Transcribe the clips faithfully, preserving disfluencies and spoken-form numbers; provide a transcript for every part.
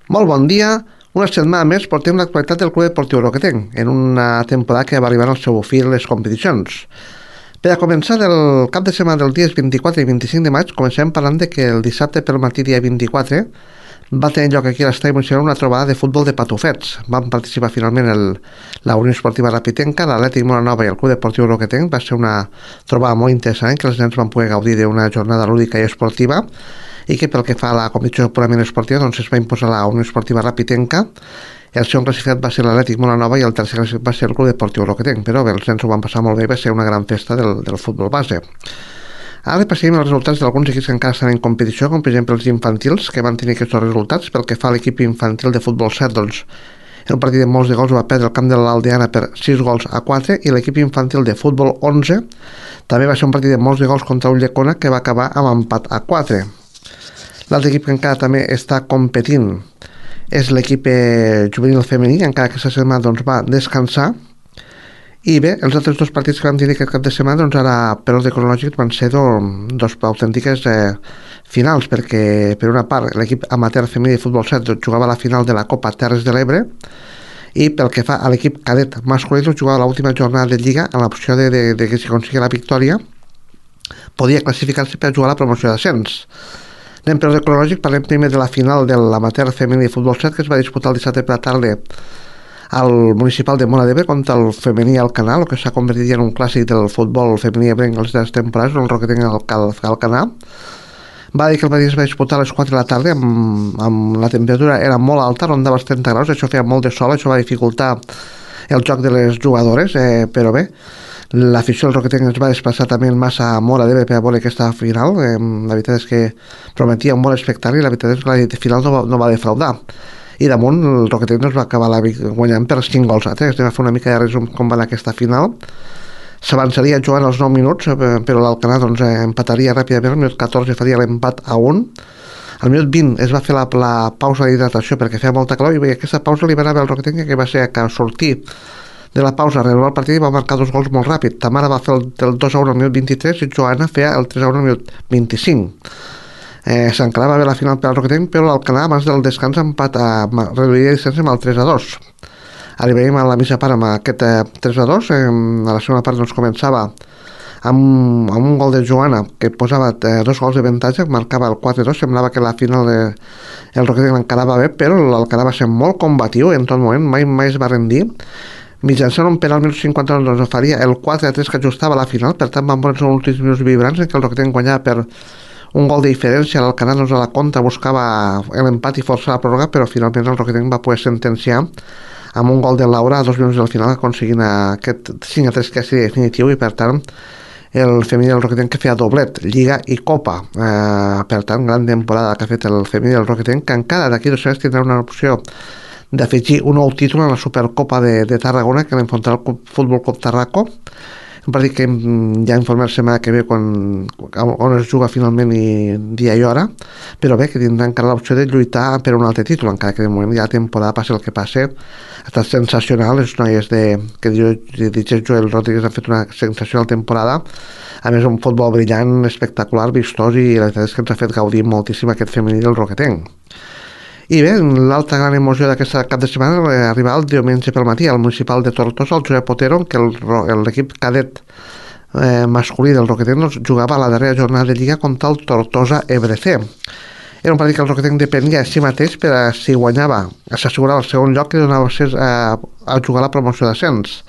Molt bon dia. Una setmana més portem l'actualitat del Club Deportiu Roquetenc, en una temporada que va arribar al seu fi les competicions. Per a començar el cap de setmana dels dies vint-i-quatre i vint-i-cinc de maig, comencem parlant de que el dissabte pel matí dia vint-i-quatre va tenir lloc aquí a l'estadi municipal una trobada de futbol de patufets. Van participar finalment el, la Unió Esportiva Rapitenca, l'Atlètic Molanova i el Club Deportiu Roquetenc. Va ser una trobada molt interessant que els nens van poder gaudir d'una jornada lúdica i esportiva, i que pel que fa a la competició purament esportiva doncs es va imposar la Unió Esportiva Rapitenca. El segon classificat va ser l'Atlètic Molanova i el tercer classificat va ser el Club Deportiu Roquetenc, però bé, els nens ho van passar molt bé i va ser una gran festa del, del futbol base. Ara repassem els resultats d'alguns equips que encara estan en competició, com per exemple els infantils, que van tenir aquests resultats. Pel que fa a l'equip infantil de futbol set, doncs el partit de molts de gols va perdre el camp de l'Aldeana per sis gols a quatre, i l'equip infantil de futbol onze també va ser un partit de molts de gols contra Ulldecona, que va acabar amb empat a quatre. L'altre equip que encara també està competint és l'equip juvenil femení, encara que aquesta setmana doncs, va descansar. I bé, els altres dos partits que vam tenir aquest cap de setmana, doncs ara per ordre cronològic van ser dos, dos autèntiques eh, finals, perquè per una part l'equip amateur femení de futbol set doncs, jugava la final de la Copa Terres de l'Ebre, i pel que fa a l'equip cadet masculí doncs, jugava l'última jornada de Lliga amb l'opció de, de, de que si aconseguia la victòria podia classificar-se per jugar a la promoció d'ascens. Anem per ordre cronològic, parlem primer de la final de l'amateur femení de futbol set, que es va disputar el dissabte per la tarda al municipal de Móra d'Ebre contra el femení Alcanar, el que s'ha convertit en un clàssic del futbol femení ebrenc en les darreres temporades, el Roquetenc Alcanar. Va dir que el partit es va disputar a les quatre de la tarda, amb, amb la temperatura era molt alta, rondava els trenta graus, això feia molt de sol, això va dificultar el joc de les jugadores, eh, però bé, l'afició del Roquetenc es va desplaçar també en massa a Móra d'Ebre per a veure aquesta final. Eh, la veritat és que prometia un bon espectacle i la veritat és que la final no va, no va defraudar. I damunt el Roquetenc no es va acabar la guanyant per cinc gols a tres. Anem a fer una mica de resum com va anar aquesta final. S'avançaria jugant als nou minuts, però l'Alcanar doncs, empataria ràpidament. Al minut catorze faria l'empat a un. Al minut vint es va fer la, la pausa d'hidratació perquè feia molta calor, i aquesta pausa li va anar al Roquetenc, que va ser que sortir de la pausa, renovar el partit, i va marcar dos gols molt ràpid. Tamara va fer el, el dos a un al minut vint-i-tres i Joana feia el tres a un al minut vint-i-cinc. Eh, S'encarava bé la final per al Roquetenc, però l'Alcanar abans del descans empat a reduir la distància amb el tres a dos. Arribarem a la mitja part amb aquest eh, tres a dos. Eh, a la segona part doncs, començava amb, amb un gol de Joana que posava eh, dos gols de avantatge, marcava el quatre a dos. Semblava que la final de, el Roquetenc l'encarava bé, però l'Alcanar va ser molt combatiu en tot moment, mai, mai es va rendir. Mitjançant un penal al minut cinquanta doncs faria el quatre a tres que ajustava la final. Per tant van posar uns últims minuts vibrants en què el Roquetenc guanyava per un gol de diferència. L'Alcanar doncs, a la contra buscava l'empat i forçar la pròrroga, però finalment el Roquetenc va poder sentenciar amb un gol de Laura a dos minuts del final, aconseguint aquest cinc a tres que és definitiu, i per tant el femení del Roquetenc que feia doblet, Lliga i Copa. Eh, per tant, gran temporada que ha fet el femení del Roquetenc, que encara d'aquí dos anys tindrà una opció d'afegir un nou títol en la Supercopa de, de Tarragona, que l'enfrontarà el Futbol Club Tarraco, un partit que ja informarem la setmana que ve quan, on es juga finalment i dia i hora, però bé, que tindrà encara l'opció de lluitar per un altre títol, encara que de moment ja la temporada passi el que passi. Ha estat sensacional, les noies de, que dirigeix Joel Rodríguez han fet una sensacional temporada, a més un futbol brillant, espectacular, vistós, i la veritat és que ens ha fet gaudir moltíssim aquest femení del Roquetenc. I bé, l'altra gran emoció d'aquesta cap de setmana va arribar el diumenge pel matí al municipal de Tortosa, al Josep Otero, que l'equip cadet eh, masculí del Roquetenc doncs, jugava a la darrera jornada de Lliga contra el Tortosa Ebre C. Era un partit que el Roquetenc depenia de si mateix per a si guanyava, s'assegurava el segon lloc, que donava accés a, a jugar a la promoció d'ascens.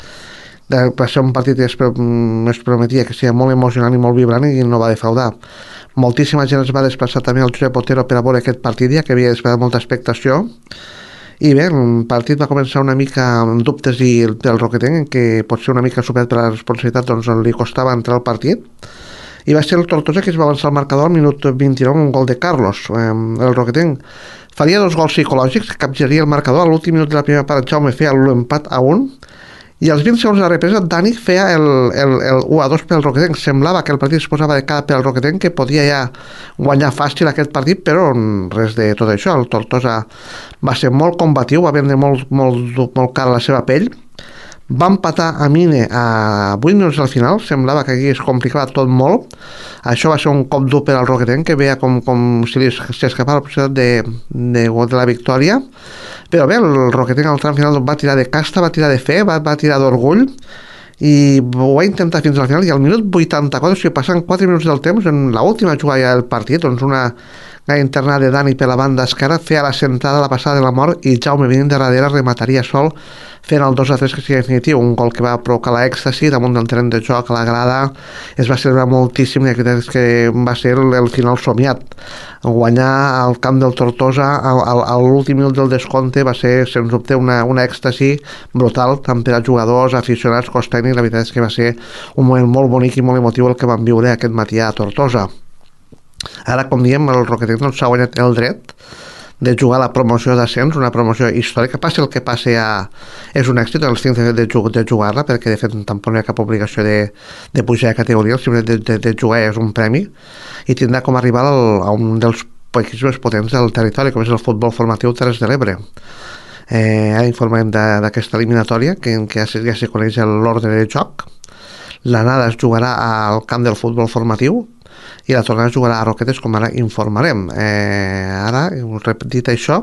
Va ser un partit que es, es prometia que seria molt emocionant i molt vibrant, i no va defraudar. Moltíssima gent es va desplaçar també al Josep Otero per a veure aquest partit, ja que havia esperat molta expectació. I bé, el partit va començar una mica amb dubtes i del Roquetenc, que pot ser una mica superat per la responsabilitat, doncs li costava entrar al partit. I va ser el Tortosa que es va avançar al marcador al minut vint-i-nou, un gol de Carlos. El Roquetenc faria dos gols psicològics, capgiraria el marcador. A l'últim minut de la primera part, Jaume feia l'empat a un, i als vint segons de la represa Dani feia el, el, el u a dos pel Roquetenc. Semblava que el partit es posava de cara pel Roquetenc, que podia ja guanyar fàcil aquest partit, però res de tot això. El Tortosa va ser molt combatiu, va vendre molt, molt, molt cara la seva pell, va empatar a Mine a vuit minuts al final, semblava que aquí es complicava tot molt. Això va ser un cop dur per al Roquetenc, que veia com, com si li s'escapava la possibilitat de, de, de la victòria. Però bé, el Roquetenc al tram final va tirar de casta, va tirar de fe, va, va tirar d'orgull, i ho va intentar fins al final, i al minut vuitanta-quatre, o sigui, passant quatre minuts del temps, en l'última jugada del partit, doncs una gaire internada de Dani per la banda esquerra, feia la centrada, la passada de la mort, i Jaume venint de darrere remataria sol, fent el dos a tres, que sigui definitiu, un gol que va provocar l'èxtasi damunt del terreny de joc, a la grada, es va celebrar moltíssim, i aquest que va ser el, el final somiat. Guanyar al camp del Tortosa a l'últim minut del descompte va ser, sens dubte, una, una èxtasi brutal, tant per a jugadors, aficionats, cos tècnic. La veritat és que va ser un moment molt bonic i molt emotiu el que vam viure aquest matí a Tortosa. Ara, com diem, el Roquetenc doncs, s'ha guanyat el dret de jugar a la promoció d'ascens, una promoció històrica. Passi el que passi, a... és un èxit el cinc de, de, de jugar-la, perquè de fet tampoc no hi ha cap obligació de, de pujar de categoria, el de, de, de jugar és un premi, i tindrà com arribar al, a un dels equips més potents del territori, com és el futbol formatiu Terres de l'Ebre. Eh, ara informarem d'aquesta eliminatòria, que, que ja, ja se coneix l'ordre de joc. L'anada es jugarà al camp del futbol formatiu, i la tornada es jugarà a Roquetes, com ara informarem. Eh, ara, dit això,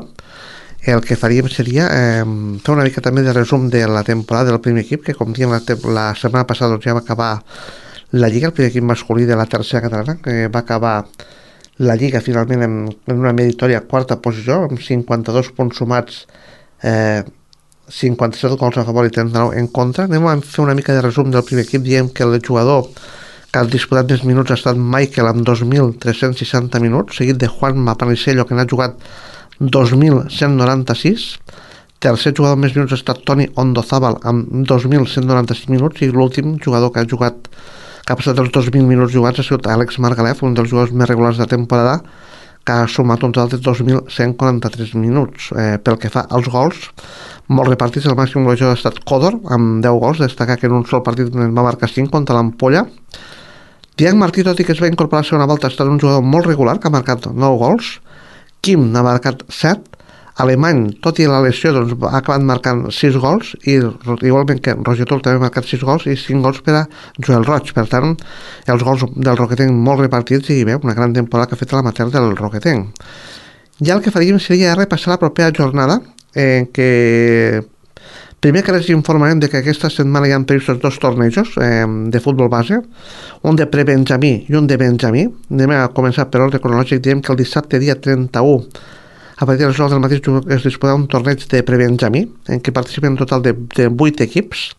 el que faríem seria eh, fer una mica també de resum de la temporada del primer equip, que com diem la, la setmana passada doncs, ja va acabar la Lliga, el primer equip masculí de la tercera catalana, que va acabar la Lliga finalment en, en una meditòria quarta posició, amb cinquanta-dos punts sumats, eh, cinquanta-set gols a favor i trenta-nou en contra. Anem a fer una mica de resum del primer equip. Diem que el jugador que ha disputat més minuts ha estat Michael amb dos mil tres-cents seixanta minuts, seguit de Juan Panisello, que n'ha jugat dos mil cent noranta-sis. Tercer jugador amb més minuts ha estat Toni Ondozábal amb dos mil cent noranta-sis minuts, i l'últim jugador que ha jugat que ha passat els dos mil minuts jugats ha sigut Àlex Margalef, un dels jugadors més regulars de temporada, que ha sumat un total de dos mil cent quaranta-tres minuts. Eh, pel que fa als gols, molt repartits. El màxim golejador ha estat Codor amb deu gols, destacar que en un sol partit va marcar cinc contra l'Ampolla. Diac Martí, tot i que es va incorporar a la segona volta, ha estat un jugador molt regular, que ha marcat nou gols. Kim n'ha marcat set. Alemany, tot i la lesió, doncs, ha acabat marcant sis gols, i igualment que Roger Tul també ha marcat sis gols i cinc gols per a Joel Roig. Per tant, els gols del Roquetenc molt repartits, i bé, una gran temporada que ha fet l'amateur del Roquetenc. Ja el que faríem seria repassar la propera jornada, eh, que primer que res informarem de que aquesta setmana hi ha previstos dos tornejos eh, de futbol base, un de pre-benjamí i un de benjamí. Anem a començar per ordre cronològic. Diem que el dissabte, dia trenta-u, a partir de les nou del matí, es disputarà un torneig de pre-benjamí, en què participen un total de, de vuit equips,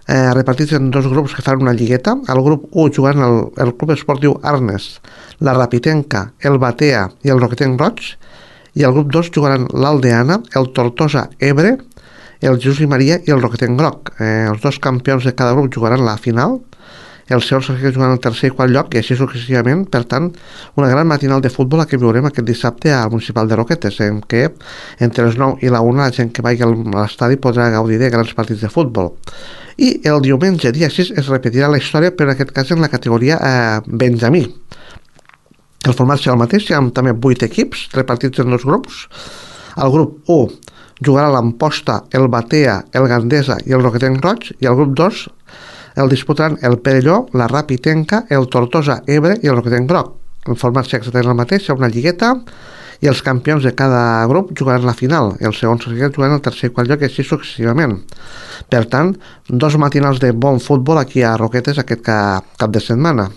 eh, repartits en dos grups que fan una lligueta. Al grup u jugant el, el Club Esportiu Arnes, la Rapitenca, el Batea i el Roquetenc Roig, i al grup dos jugaran l'Aldeana, el Tortosa Ebre, el Jesús i Maria i el Roquetenc Groc. Eh, els dos campions de cada grup jugaran la final, els segons que juguen el tercer i quart lloc, i així successivament. Per tant, una gran matinal de futbol la que viurem aquest dissabte al Municipal de Roquetes, en què entre les nou i la una la gent que vagi a l'estadi podrà gaudir de grans partits de futbol. I el diumenge, dia sis, es repetirà la història, però en aquest cas en la categoria eh, benjamí. El format serà el mateix, hi ha també vuit equips repartits en dos grups. Al grup u jugarà l'Amposta, el Batea, el Gandesa i el Roquetenc Roig, i al grup dos el disputaran el Perelló, la Rapitenca, el Tortosa Ebre i el Roquetenc Groc. El format serà exactament el mateix, serà una lligueta, i els campions de cada grup jugaran la final, els segons jugaran el tercer i quart lloc, i així successivament. Per tant, dos matinals de bon futbol aquí a Roquetes aquest cap, cap de setmana.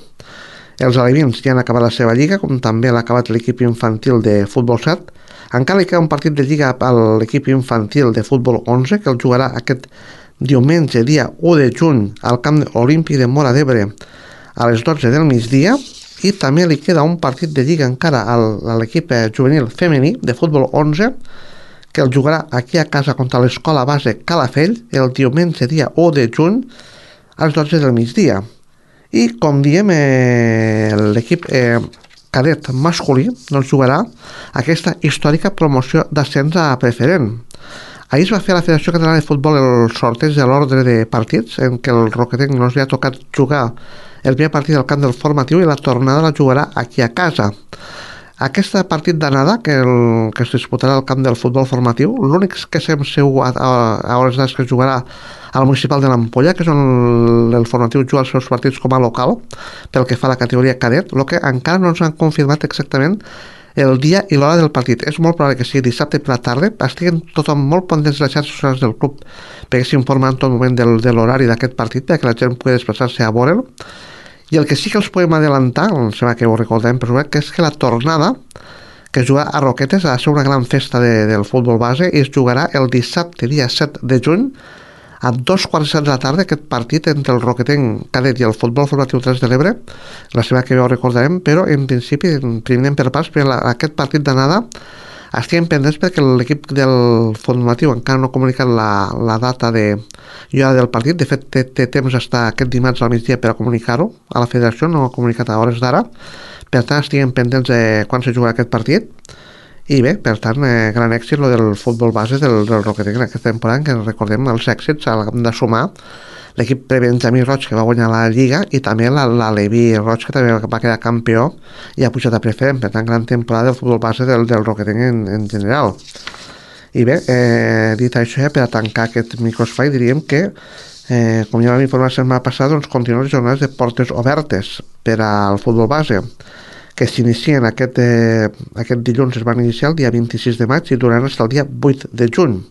Els alevins ja han acabat la seva lliga, com també l'ha acabat l'equip infantil de futbol set. Encara hi queda un partit de lliga a l'equip infantil de futbol onze, que el jugarà aquest diumenge, dia u de juny, al camp olímpic de Móra d'Ebre a les dotze del migdia. I també li queda un partit de lliga encara a l'equip juvenil femení de futbol onze, que el jugarà aquí a casa contra l'escola base Calafell el diumenge, dia u de juny, a les dotze del migdia. I com diem, eh, l'equip eh, cadet masculí doncs jugarà aquesta històrica promoció d'ascens a preferent. Ahir es va fer a la Federació Catalana de Futbol el sorteig de l'ordre de partits, en què el Roquetenc no li ha tocat jugar el primer partit del camp del formatiu, i la tornada la jugarà aquí a casa. Aquest partit d'anada que, el, que es disputarà al camp del futbol formatiu, l'únic que sabem segur a, a, a hores d'ara que es jugarà al municipal de l'Ampolla, que és on el, el formatiu juga els seus partits com a local, pel que fa a la categoria cadet, el que encara no ens han confirmat exactament el dia i l'hora del partit. És molt probable que sigui dissabte per la tarda. Estiguen tothom molt pendents de les xarxes socials del club perquè s'informa en tot moment del, de l'horari d'aquest partit perquè la gent pugui desplaçar-se a veure'l. I el que sí que els podem adelantar, em sembla que ho recordem, però que és que la tornada que es jugarà a Roquetes ha de ser una gran festa de, del futbol base i es jugarà el dissabte dia set de juny a dos quarts de set de la tarda aquest partit entre el Roquetenc cadet i el futbol formatiu tres de l'Ebre. La setmana que ve ho recordarem, però en principi primer per pas, perquè la, aquest partit d'anada estem pendents perquè l'equip del formatiu encara no ha comunicat la, la data de i hora del partit. De fet té, té temps hasta aquest dimarts al migdia per a comunicar-ho a la federació, no ho ha comunicat a hores d'ara, per tant estem pendents de quan se jugarà aquest partit. I bé, per tant, eh, gran èxit lo del futbol base del, del Roquetenc en aquesta temporada, que recordem els èxits al camp de sumar l'equip Benjamí Roig, que va guanyar la Lliga, i també la, la Levi Roig, que també va quedar campió i ha pujat a preferent. Per tant, gran temporada del futbol base del, del Roquetenc en, en general. I bé, eh, dit això, ja per a tancar aquest microespai, diríem que eh, com ja vam informar la setmana passada, doncs continuen les jornades de portes obertes per al futbol base, que s'inicien aquest, eh, aquest dilluns, es van iniciar el dia vint-i-sis de maig i duraran fins al dia vuit de juny.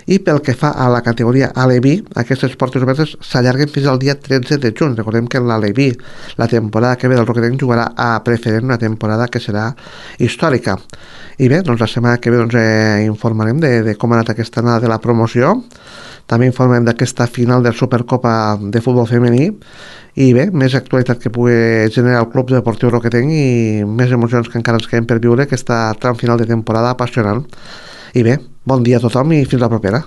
I pel que fa a la categoria Aleví, aquestes portes obertes s'allarguen fins al dia tretze de juny. Recordem que l'Aleví, la temporada que ve del Roquetenc, jugarà a preferent, una temporada que serà històrica. I bé, doncs la setmana que ve doncs, eh, informarem de, de com ha anat aquesta anada de la promoció. També informem d'aquesta final de Supercopa de futbol femení i bé, més actualitat que pugui generar el Club Deportiu Roquetenc i més emocions que encara ens queden per viure aquesta tram final de temporada apassionant. I bé, bon dia a tothom i fins la propera.